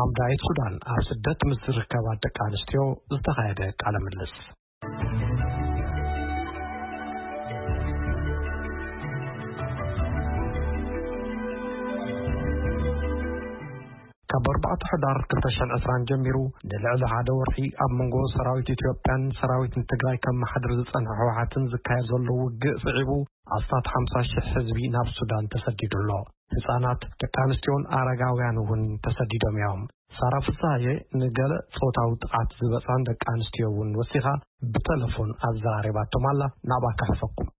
ሓምዳይት ሱዳን ኣብ ስደት ምስ ዝርከባ ደቂ ኣንስትዮ ዝተኻየደ ቃለ ምልልስ። ካብ ኣርባዕተ ሕዳር ክልተ ሽሕን ዕስራን ጀሚሩ ንልዕሊ ሓደ ወርሒ ኣብ መንጎ ሰራዊት ኢትዮጵያን ሰራዊት ትግራይ ከመሓድር ዝጸንሐ ህወሓትን ዝካየድ ዘሎ ውግእ ስዒቡ ኣስታት ሓምሳ ሽሕ ህዝቢ ናብ ሱዳን ተሰዲዱ ኣሎ። ህጻናት፣ ደቂ ኣንስትዮን ኣረጋውያን እውን ተሰዲዶም እዮም። ሳራ ፍስሃየ ንገለ ጾታዊ ጥቓት ዝበጽሐን ደቂ ኣንስትዮ እውን ወሲኻ ብተለፎን ኣዘራሪባቶም ኣላ። ናብኣ ከሕልፈኩም።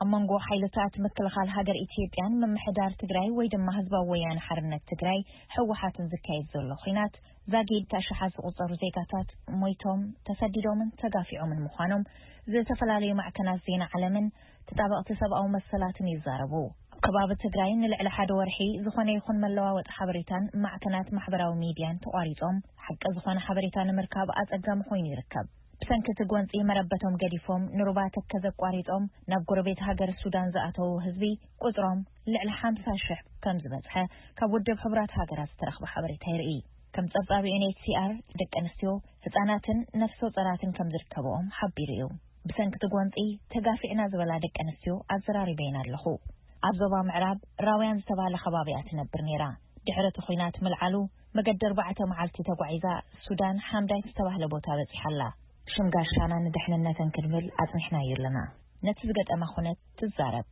ኣብ መንጎ ሓይልታት ምክልኻል ሃገር ኢትዮጵያን ምምሕዳር ትግራይ ወይ ድማ ህዝባዊ ወያነ ሓርነት ትግራይ ህወሓትን ዝካየድ ዘሎ ኹናት ዛጊድ ኣሽሓት ዝቑጸሩ ዜጋታት ሞይቶም፣ ተሰዲዶምን ተጋፊዖምን ምዃኖም ዝተፈላለዩ ማዕከናት ዜና ዓለምን ተጣበቕቲ ሰብኣዊ መሰላትን ይዛረቡ። ኣብ ከባቢ ትግራይ ንልዕሊ ሓደ ወርሒ ዝኾነ ይኹን መለዋወጢ ሓበሬታን ማዕከናት ማሕበራዊ ሚድያን ተቋሪጾም፣ ሓቂ ዝኾነ ሓበሬታ ንምርካብ ኣጸጋሚ ኮይኑ ይርከብ። ብሰንኪ እቲ ጎንጺ መረበቶም ገዲፎም ንሩባ ተከዘ ኣቋሪጾም ናብ ጎረቤት ሃገር ሱዳን ዝኣተዉ ህዝቢ ቁጽሮም ልዕሊ ሓምሳ ሽሕ ከም ዝበጽሐ ካብ ውድብ ሕቡራት ሃገራት ዝተረኽበ ሓበሬታ የርኢ። ከም ጸብጻብ ዩ ኤን ኤች ሲ ኣር ደቂ ኣንስትዮ፣ ህጻናትን ነፍሰ ጾራትን ከም ዝርከብኦም ሓቢሩ እዩ። ብሰንኪ እቲ ጎንጺ ተጋፊዕና ዝበላ ደቂ ኣንስትዮ ኣዘራሪበየን ኣለኹ። ኣብ ዞባ ምዕራብ ራውያን ዝተባህለ ከባቢ እያ ትነብር ነይራ። ድሕሪ እቲ ኹናት ምልዓሉ መገዲ ኣርባዕተ መዓልቲ ተጓዒዛ ሱዳን ሓምዳይት ዝተባህለ ቦታ በጺሓ ኣላ። ሽም ጋሻና ንድሕንነተን ክንብል ኣጽኒሕናዮ ኣለና። ነቲ ዝገጠማ ኩነት ትዛረብ።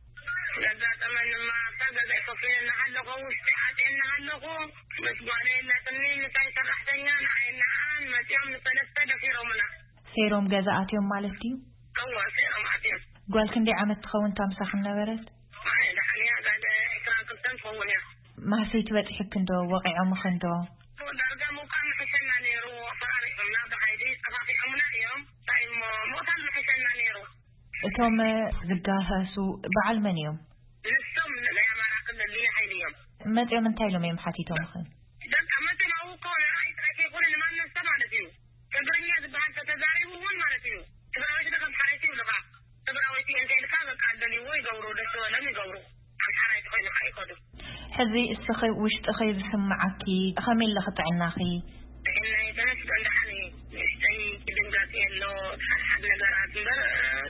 ዘጋጠመንማ ኣብታ ገዛይ ኮፍ ኢለ እናሃለኹ ውሽጢ ኣትየ እናሃለኹ ምስ ጓለይ የላትኒ ምሳይ ሰራሕተኛ ንዓይ ንዓን መጺኦም ንሰለስተ ደፊሮምና። ሰይሮም ገዛ ኣትዮም ማለት ድዩ? እወ፣ ሰይሮም ኣትዮም። ጓል ክንደይ ዓመት ትኸውን እታ ምሳኽን ነበረት? ኣይ፣ ደሓን እያ፣ ጋል ዕስራን ክልተን ትኸውን እያ። ማህሰይቲ በጺሑክን ዶ? ወቒዖምኽን ዶ? ዳርጋ ምውቃዕ ምሕሸና ነይሩ፣ ኣፈራሪዖምና ብሓይሊ ጠፋፊዖምና እዮም። እንታይ እሞ ምቕታል ምሕሸና ነይሩ። እቶም ዝጋፈሱ በዓል መን እዮም? ንሶም ናይ ኣማራ ክልል ልዩ ሓይሊ እዮም። መጺኦም እንታይ ኢሎም እዮም ሓቲቶምኽን? በቃ መጺኦም ኣብኡ እኮ ንዓይ ጥራይ ከይኮነ ንማንም ሰብ ማለት እዩ። ትግርኛ ዝበሃል ተተዛሪቡ እውን ማለት እዩ። ትግራወይቲ ዶ ኣምሓራይቲ ይብሉኻ። ትግራወይቲ እንተ ኢልካ በቃ ደልይዎ ይገብሩ፣ ደስ ዝበሎም ይገብሩ። ኣምሓራይቲ ኮይንካ ይኸዱ። ሕዚ እስኺ ውሽጥኺ ዝስምዓኪ ከመይ ኣለኺ ጥዕናኺ? ጥዕናይ ተመስገን ደሓን እዩ። ንእሽተይ ድንጋጽ የሎ፣ ሓድሓድ ነገራት እምበር፣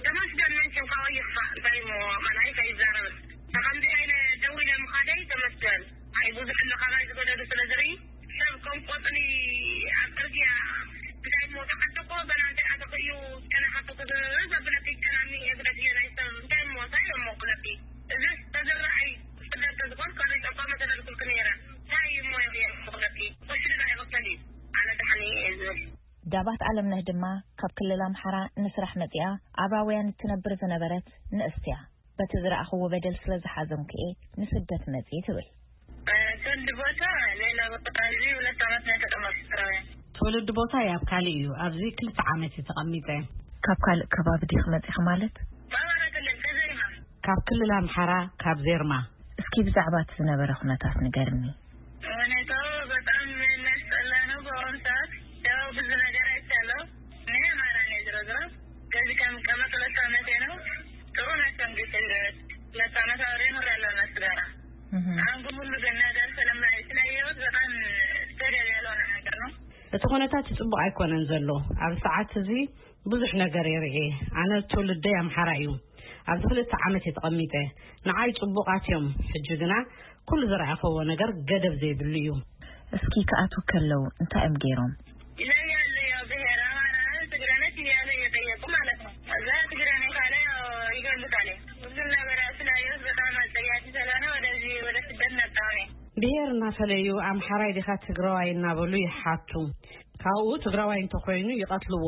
ተመስገን መቸም ካባይ ይኽፋእ። እንታይ እሞ መላኢካ ይዛረብን። ተኸምዚ ኣይነ ደው ኢለ ምኻደይ ተመስገን። ኣይ ብዙሕ ኣሎ ካባይ ዝገደዱ ስለ ዝርኢ፣ ሰብ ከም ቆጽሊ ኣብ ጽርግያ እንታይ እሞ ተዓጠቆ፣ ገና እንታይ ኣተኽእዩ፣ ገና ሓተኩ ዘብለኪ፣ ገና እኒኤ ብለኪ፣ ናይ ሰብ እንታይ እሞ እንታይ እሞ ክብለኪ። እዝስ ተዝረኣይ፣ ስደት ተዝኾን፣ ከሪጠኳ መተደልኩልኪ ነይረ። እንታይ እሞ እየ ክብለኪ፣ ቁሽሪ ዶ ኣይቕተል እዩ፣ ኣነ ደሓን እየ ዝብል። ዳባት ኣለምነህ ድማ ካብ ክልል ኣምሓራ ንስራሕ መጺኣ ኣብ ራውያን እትነብር ዝነበረት ንእስቲ እያ። በቲ ዝረኣኽዎ በደል ስለ ዝሓዘንኩ እየ ንስደት መጺእ ትብል። ትውልድ ቦታ ሌላ ቦታ፣ እዚ ሁለት ዓመት ነው የተቀመጥኩት ራውያን። ትውልድ ቦታ ኣብ ካልእ እዩ። ኣብዚ ክልተ ዓመት እዩ ተቐሚጠ። ካብ ካልእ ከባቢ ዲኺ መጺኺ ማለት? በአማራ ክልል ከዘይማ። ካብ ክልል ኣምሓራ ካብ ዜርማ። እስኪ ብዛዕባ እቲ ዝነበረ ኩነታት ንገርኒ። ሁኔታው በጣም የሚያስጠላ ነው በአሁኑ ሰዓት። ያው ብዙ ነገር አይቻለሁ። እኔ አማራ ነኝ ዞሮ ዞሮ። ከዚህ ከምቀመጥ ሁለት ዓመቴ ነው። ጥሩ ናቸው እንግዲህ ሁለት ዓመት አብሬ ኖሬያለሁ እነሱ ጋራ። እህ። አሁን ግን ሁሉ ነገር ስለማይ-፣ ስላየሁት በጣም ተገቢ ያልሆነ ነገር ነው። እቲ ኩነታት ጽቡቕ ኣይኮነን ዘሎ። ኣብ ሰዓት እዚ ብዙሕ ነገር የርኢ። ኣነ ትውልደይ ኣምሓራ እዩ። ኣብዚ ክልተ ዓመት እየ ተቐሚጠ። ንዓይ ጽቡቓት እዮም። ሕጂ ግና ኩሉ ዝረኣኽዎ ነገር ገደብ ዘይብሉ እዩ። እስኪ ክኣትዉ ከለዉ እንታይ እዮም ገይሮም? ይለያሉ፣ ያው ብሔር አማራ ነህ፣ ትግሬ ነህ እያለ እየጠየቁ ማለት ነው። እዛ ትግሬ ነኝ ካለ ያው ይገሉታል። ብዙ ነገር ያው ስላየሁት በጣም አጸያፊ ስለሆነ ወደዚህ ወደ ስደት መጣሁ እኔ። ብሔር እናፈለዩ ኣምሓራይ ዲኻ ትግራዋይ እናበሉ ይሓቱ። ካብኡ ትግራዋይ እንተኾይኑ ይቐትልዎ።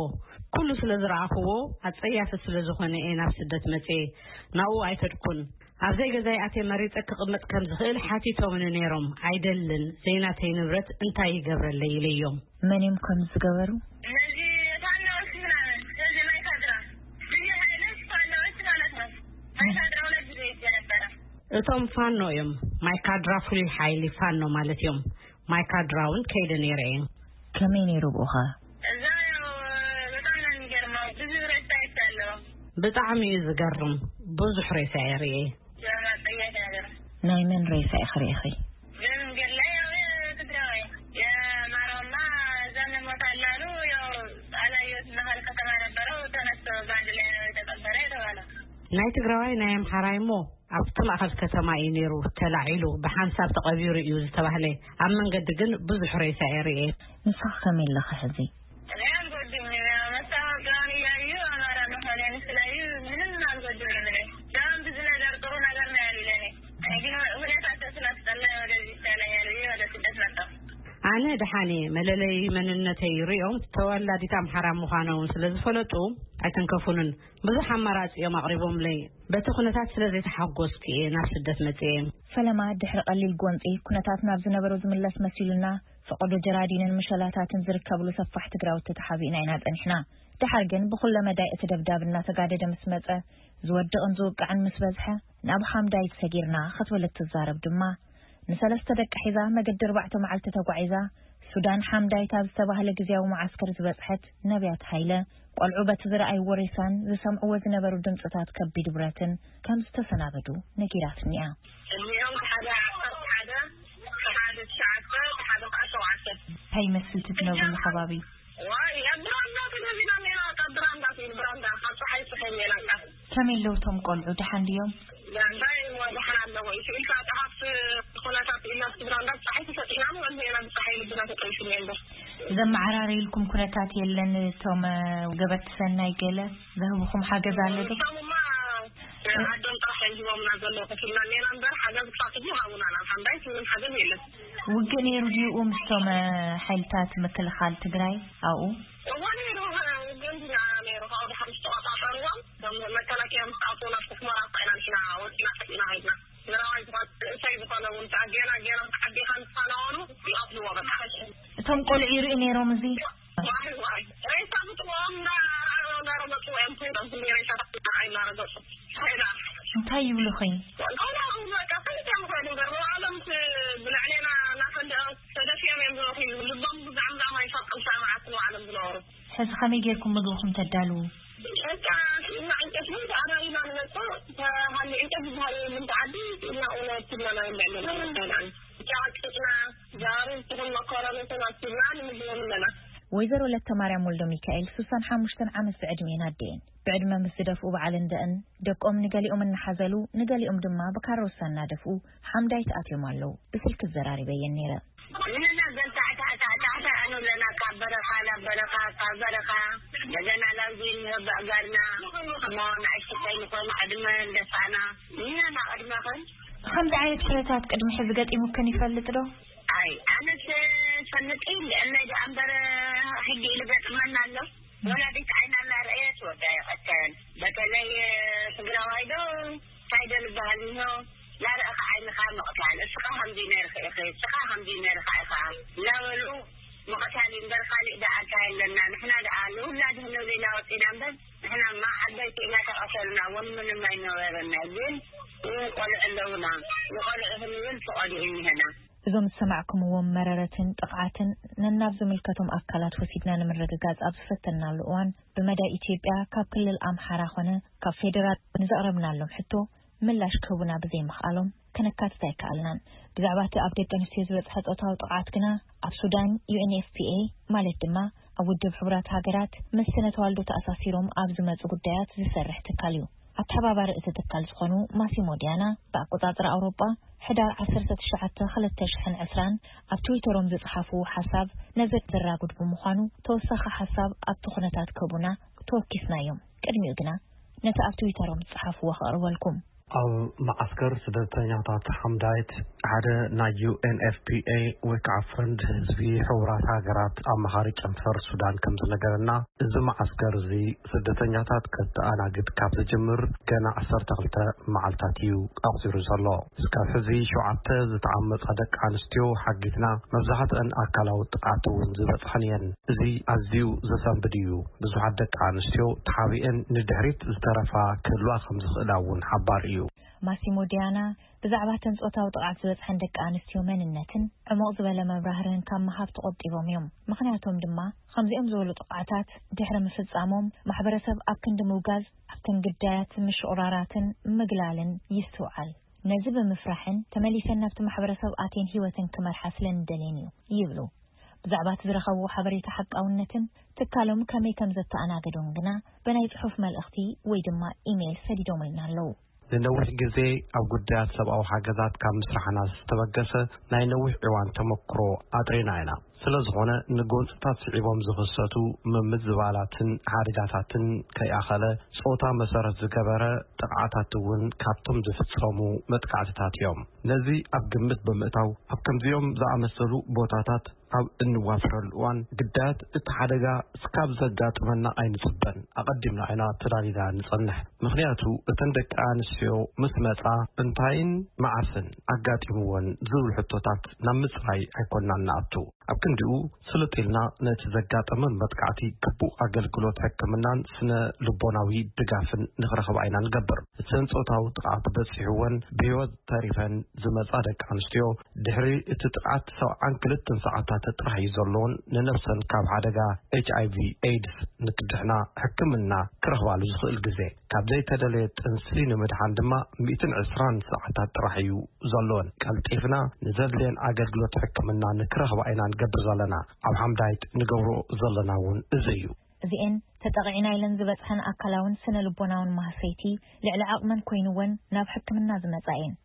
ኩሉ ስለ ዝረኣኽዎ ኣጸያፊ ስለ ዝኾነ እየ ናብ ስደት መጽየ። ናብኡ ኣይከድኩን። ኣብ ዘይገዛይ ኣትየ መሪጸ ክቕመጥ ከም ዝኽእል ሓቲቶምኒ ነይሮም። ኣይደልን፣ ዘይናተይ ንብረት እንታይ ይገብረለይ ኢለዮም። መን እዮም ከምዚ ዝገበሩ? እነዚህ ፋኖዎች ምናምን፣ ስለዚህ ማይካድራ፣ ልዩ ኃይሎች ፋኖዎች ማለት ነው። ማይካድራ ሁለት ጊዜ ሄጄ ነበረ። እቶም ፋኖ እዮም። ማይካድራ ፍሉይ ሓይሊ ፋኖ ማለት እዮም። ማይካድራ እውን ከይደ ነይረ እየ። ከመይ ነይሩ ብኡኸ? እዛ ያው በጣም ነው የሚገርመው። ብዙ ሬሳ አይቻለሁ። ብጣዕሚ እዩ ዝገርም። ብዙሕ ሬሳ እየ ርእየ። የሆነ አጸያፊ ነገር። ናይ መን ሬሳ ኢኺ ርኢኺ? በመንገድ ላይ ያው የትግራዋይ፣ የማ- ናይ ትግራዋይ ናይ ኣምሓራይ እሞ ኣብቲ ማእኸል ከተማ እዩ ነይሩ ተላዒሉ፣ ብሓንሳብ ተቐቢሩ እዩ ዝተባህለ። ኣብ መንገዲ ግን ብዙሕ ሬሳ እየ ርእየ። ንስኺ ከመይ ኣለኺ ሕዚ? እኔ አልጎድም፣ መታወቂያውን እያዩ አማራ መሆኔን ስላዩ ምንም አልጎድም። ለምን ብዙ ነገር ጥሩ ነገር ነው ያሉለኔ። እኔ ግን ሁኔታ ስላስጠላኝ ወደዚህ ይሻለኛል ብዬ ወደ ስደት መጣሁ። ኣነ ደሓን እየ። መለለይ መንነተይ ሪኦም ተወላዲት ኣምሓራ ምዃና እውን ስለ ዝፈለጡ ኣይተንከፉንን። ብዙሕ ኣማራጺ እዮም ኣቕሪቦምለይ። በቲ ኩነታት ስለ ዘይተሓጎስኩ እየ ናብ ስደት መጽየ። ፈለማ ድሕሪ ቀሊል ጎንጺ ኩነታት ናብ ዝነበሮ ዝምለስ መሲሉና፣ ፈቐዶ ጀራዲንን ምሸላታትን ዝርከብሉ ሰፋሕቲ ግራውቲ ተሓቢእና ኢና ጸኒሕና። ደሓር ግን ብኹለ መዳይ እቲ ደብዳብ እናተጋደደ ምስ መጸ፣ ዝወድቕን ዝውቃዕን ምስ በዝሐ፣ ናብ ሓምዳይት ሰጊርና ክትብል እትዛረብ ድማ፣ ንሰለስተ ደቂ ሒዛ መገዲ ኣርባዕተ መዓልቲ ተጓዒዛ፣ ሱዳን ሓምዳይት ኣብ ዝተባህለ ግዝያዊ መዓስከር ዝበጽሐት ነብያት ሃይለ፣ ቆልዑ በቲ ዝረኣይዎ ሬሳን ዝሰምዕዎ ዝነበሩ ድምጽታት ከቢድ ብረትን ከም ዝተሰናበዱ ነጊራትኒ እያ። እኒኦም ሓደ ዓሰርተ ሓደ፣ ሓደ ትሽዓተ፣ ሓደ ከዓ ሸውዓተ። እንታይ ይመስል እቲ ትነብርሉ ከባቢ? ዋይ፣ ኣብ ብራንዳ ተገዚና ኔና፣ ካብ ብራንዳ፣ ካብ ብራንዳ፣ ካብ ፀሓይ ስሕል ኔና። ከመይ ኣለዉ እቶም ቆልዑ? ደሓን ድዮም? ዳንዳይ ወድሓን ኣለዎ። ኢልካ ጸሓፍቲ ኩነታት ኢልና ብራንዳ ፀሓይ ተሰጢና ንበልዕ ኢና፣ ብፀሓይ ልብና ተጠይፍና እምበር። ዘመዓራረዩልኩም ኩነታት የለን? እቶም፣ እ፣ ገበርቲ ሰናይ ገለ ዘህብኹም ሓገዝ ኣሎ ዶ? እሶምማ ዓዶም ጥራሕ እዮም ሂቦምና ዘለዉ፣ ከፊልና ኔና እምበር ሓገዝ ክሳብ ሕጂ ይሃቡና ናብ ሓምዳይት ምንም ሓገዝ የለን። ውግእ ነይሩ ድዩ ምስቶም፣ እ፣ ሓይልታት ምክልኻል ትግራይ ኣብኡ? እዋ ነይሩ፣ እ፣ ውግእ እንዲና ነይሩ። ካብኡ ድሓር ምስ ተቆጻጸርዎም፣ እቶም መከላከያ ምስ ኣትዉ ናብቲ ሑመራ እኳ ኢና ንሕና ወፂና ጠፊእና ከይድና። ትግራዋይ ዝኾነ፣ ንእሰይ ዝኾነ እውን ከዓ ገና፣ ገና ዓዲ ከም ዝፈነወሉ ይቐትልዎ በቃ። እቶም ቆልዑ ይርእዩ ነይሮም እዚ? ዋይ፣ ዋይ። ሬሳ ምጥዋም እና እናረገጹ እዮም ኮይኖም፣ ክንደይ ሬሳ እናረገጹ። እንታይ ይብሉኺ? ንባዕሎም ብልዕሌና እናፈንደቐ ተደፊኦም እዮም ዝነብሩ። ልቦም ብዛዕምዛም ኣይፈልጡን፣ ሰማዕቲ ንባዕሎም ዝነበሩ። ሕዚ ከመይ ጌርኩም ምግብኹም ተዳልዉ? በቃ፣ ስኢልና ዕንጨት እውን ተኣራሪና ንመጽእ። ተሃሊ ዕንጨት ዝበሃል የለን፣ ዓዲ ስኢልና እውን ኣብቲ ብቻ ቀጥቂጥና፣ ዛሩ ትኹን መኮረኒ ተማሲልና ንምግቦም ኣለና። ወይዘሮ ለተማርያም ወልደሚካኤል ሱሳን ሓሙሽተን ዓመት ብዕድሜን ኣደየን። ብዕድመ ምስ ዝደፍኡ በዓልን ደእን ደቆም ንገሊኦም እናሓዘሉ፣ ንገሊኦም ድማ ብካሮሳ እናደፍኡ ሓምዳይት ኣትዮም ኣለዉ። ብስልኪ ዘራሪበየን ነይረ። ንሕና ገል ታሕታ፣ ታሕታ፣ ታሕታ ንብለና፣ ካብ በረኻ ናብ በረኻ፣ ካብ በረኻ እንደገና ላውዚ ንህብ ኣጋርና፣ እሞ ንኣሽቱ ከይንኾን ዕድመ እንደፋና፣ ንሕና ቅድመኽን። ከምዚ ዓይነት ኩነታት ቅድሚ ሕዚ ገጢሙክን ይፈልጥ ዶ? ኣይ፣ ኣነስ ፈልጥ ኢል፣ እለይ ደኣ እምበር ሕጊ ኢሉ ገጥመና ኣሎ። ወላዲት ዓይና እናረኣየት ወዳ ይቐተል። በተለይ ትግራዋይ ዶ እንታይ ዶ ዝበሃል እንሆ፣ ላረኣኻ ዓይንኻ ምቕታል፣ እስኻ ከምዚ ነርካ ኢኺ፣ እስኻ ከምዚ ነርካ ኢኻ እናበሉ ምቕታል እዩ እምበር፣ ካሊእ ደኣ እንታይ ኣለና? ንሕና ደኣ ንውላድ ክንብል ኢና ወፂና እምበር፣ ንሕናማ ዓበይቲ ኢና ተቐተልና እውን ምንም ኣይነበረና። ግን እውን ቆልዑ ኣለውና፣ ንቆልዑ ክንብል ፍቐዱ እኒሀና። እዞም ዝሰማዕኩምዎም መረረትን ጥቕዓትን ነናብ ዝምልከቶም ኣካላት ወሲድና ንምርግጋጽ ኣብ ዝፈተንናሉ እዋን፣ ብመዳይ ኢትዮጵያ ካብ ክልል ኣምሓራ ኾነ ካብ ፌደራል ንዘቕረብናሎም ሕቶ ምላሽ ክህቡና ብዘይምኽኣሎም ከነካትት ኣይከኣልናን። ብዛዕባ እቲ ኣብ ደቂ ኣንስትዮ ዝበጽሐ ጾታዊ ጥቕዓት ግና ኣብ ሱዳን ዩ ኤን ኤፍ ፒ ኤ ማለት ድማ ኣብ ውድብ ሕቡራት ሃገራት ምስ ስነ ተዋልዶ ተኣሳሲሮም ኣብ ዝመጹ ጉዳያት ዝሰርሕ ትካል እዩ። ኣተሓባባሪ እቲ ትካል ዝኾኑ ማሲሞ ዲያና ብኣቆጻጽራ ኣውሮጳ ሕዳር ዓሰርተ ትሽዓተ ክልተ ሽሕን ዕስራን ኣብ ትዊተሮም ዝጸሓፍዎ ሓሳብ ነዚ ዘራጉድ ብምዃኑ ተወሳኺ ሓሳብ ኣብቲ ኩነታት ክህቡና ተወኪስናዮም። ቅድሚኡ ግና ነቲ ኣብ ትዊተሮም ዝጸሓፍዎ ከቕርበልኩም። ኣብ መዓስከር ስደተኛታት ሓምዳይት ሓደ ናይ ዩ ኤን ኤፍ ፒ ኤ ወይ ከዓ ፈንድ ህዝቢ ሕቡራት ሃገራት ኣማኻሪ ጨንፈር ሱዳን ከም ዝነገረና፣ እዚ መዓስከር እዚ ስደተኛታት ከተኣናግድ ካብ ዝጅምር ገና ዓሰርተ ክልተ መዓልታት እዩ ኣቑጺሩ ዘሎ። እስካብ ሕዚ ሸውዓተ ዝተዓመጻ ደቂ ኣንስትዮ ሓጊዝና፣ መብዛሕትአን ኣካላዊ ጥቕዓት እውን ዝበጽሐን እየን። እዚ ኣዝዩ ዘሰንብድ እዩ። ብዙሓት ደቂ ኣንስትዮ ተሓቢአን ንድሕሪት ዝተረፋ ክህልዋ ከም ዝኽእላ እውን ሓባር እዩ። ማሲሞ ዲያና ብዛዕባ እተን ጾታዊ ጥቕዓት ዝበጽሐን ደቂ ኣንስትዮ መንነትን ዕሙቕ ዝበለ መብራህርህን ካብ ምሃብ ተቖጢቦም እዮም። ምኽንያቶም ድማ፣ ከምዚኦም ዝበሉ ጥቕዓታት ድሕሪ ምፍጻሞም፣ ማሕበረሰብ ኣብ ክንዲ ምውጋዝ፣ ኣብተን ግዳያት ምሽቑራራትን ምግላልን ይስትውዓል። ነዚ ብምፍራሕን ተመሊሰን ናብቲ ማሕበረሰብ ኣትየን ህይወተን ክመርሓ ስለ እንደልየን እዩ ይብሉ። ብዛዕባ እቲ ዝረኸብዎ ሓበሬታ ሓቃውነትን ትካሎም ከመይ ከም ዘተኣናገዶን ግና ብናይ ጽሑፍ መልእኽቲ ወይ ድማ ኢሜይል ሰዲዶምልና ኣለዉ። ንነዊሕ ግዜ ኣብ ጉዳያት ሰብኣዊ ሓገዛት ካብ ምስራሕና ዝተበገሰ ናይ ነዊሕ እዋን ተመክሮ ኣጥሪና ኢና። ስለ ዝኾነ ንጎንፅታት ስዒቦም ዝኽሰቱ ምምዝባላትን ሓደጋታትን ከይኣኸለ ጾታ መሰረት ዝገበረ ጥቕዓታት እውን ካብቶም ዝፍጸሙ መጥቃዕትታት እዮም። ነዚ ኣብ ግምት ብምእታው ኣብ ከምዚኦም ዝኣመሰሉ ቦታታት ኣብ እንዋፈረሉ እዋን ግዳያት እቲ ሓደጋ እስካብ ዘጋጥመና ኣይንጽበን። ኣቐዲምና ኢና ተዳሊና ንጸንሕ። ምኽንያቱ እተን ደቂ ኣንስትዮ ምስ መጻ እንታይን መዓስን ኣጋጢምወን ዝብል ሕቶታት ናብ ምጽራይ ኣይኮንናን ንኣቱ። ኣብ ክንዲኡ ስልጥ ኢልና ነቲ ዘጋጠመን መጥቃዕቲ ግቡእ ኣገልግሎት ሕክምናን ስነ ልቦናዊ ድጋፍን ንኽረኽባ ኢና ንገብር። እተን ጾታዊ ጥቕዓት በጺሕወን ብህይወት ተሪፈን ዝመጻ ደቂ ኣንስትዮ ድሕሪ እቲ ጥቕዓት ሰብዓን ክልተን ሰዓታት ጥራሕ እዩ ዘለዎን ንነብሰን ካብ ሓደጋ ኤች ኣይ ቪ ኤድስ ንክድሕና ሕክምና ክረኽባሉ ዝኽእል ግዜ። ካብ ዘይተደለየ ጥንሲ ንምድሓን ድማ ሚእትን ዕስራን ሰዓታት ጥራሕ እዩ ዘለወን። ቀልጢፍና ንዘድልየን ኣገልግሎት ሕክምና ንክረኽባ ኢና ንገብር ዘለና። ኣብ ሓምዳይት ንገብሮ ዘለና እውን እዚ እዩ። እዚኤን ተጠቒዕና ኢለን ዝበጽሐን ኣካላውን ስነ ልቦናውን ማህሰይቲ ልዕሊ ዓቕመን ኮይንወን ናብ ሕክምና ዝመጻ እየን።